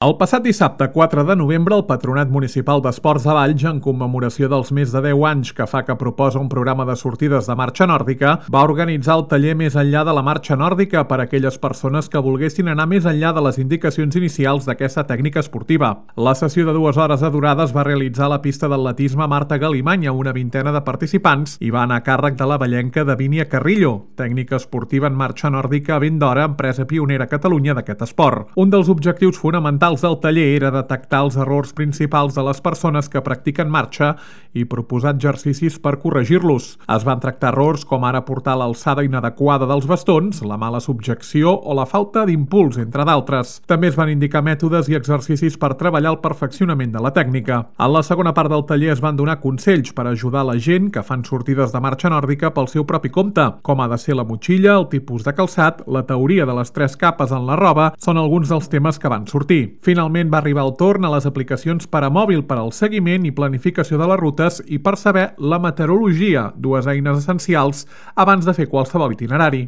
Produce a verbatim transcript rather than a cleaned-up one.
El passat dissabte quatre de novembre, el Patronat Municipal d'Esports de Valls, en commemoració dels més de deu anys que fa que proposa un programa de sortides de marxa nòrdica, va organitzar el taller Més enllà de la marxa nòrdica per a aquelles persones que volguessin anar més enllà de les indicacions inicials d'aquesta tècnica esportiva. La sessió de dues hores de durada es va realitzar a la pista d'atletisme Marta Galimany amb una vintena de participants i va anar a càrrec de la vallenca Davínia Carrillo, tècnica esportiva en marxa nòrdica a ben d'hora, empresa pionera a Catalunya d'aquest esport. Un dels objectius fonamentals del taller era detectar els errors principals de les persones que practiquen marxa i proposar exercicis per corregir-los. Es van tractar errors com ara portar l'alçada inadequada dels bastons, la mala subjecció o la falta d'impuls, entre d'altres. També es van indicar mètodes i exercicis per treballar el perfeccionament de la tècnica. En la segona part del taller es van donar consells per ajudar la gent que fan sortides de marxa nòrdica pel seu propi compte, com ha de ser la motxilla, el tipus de calçat, la teoria de les tres capes en la roba, són alguns dels temes que van sortir. Finalment va arribar el torn a les aplicacions per a mòbil per al seguiment i planificació de les rutes i per saber la meteorologia, dues eines essencials abans de fer qualsevol itinerari.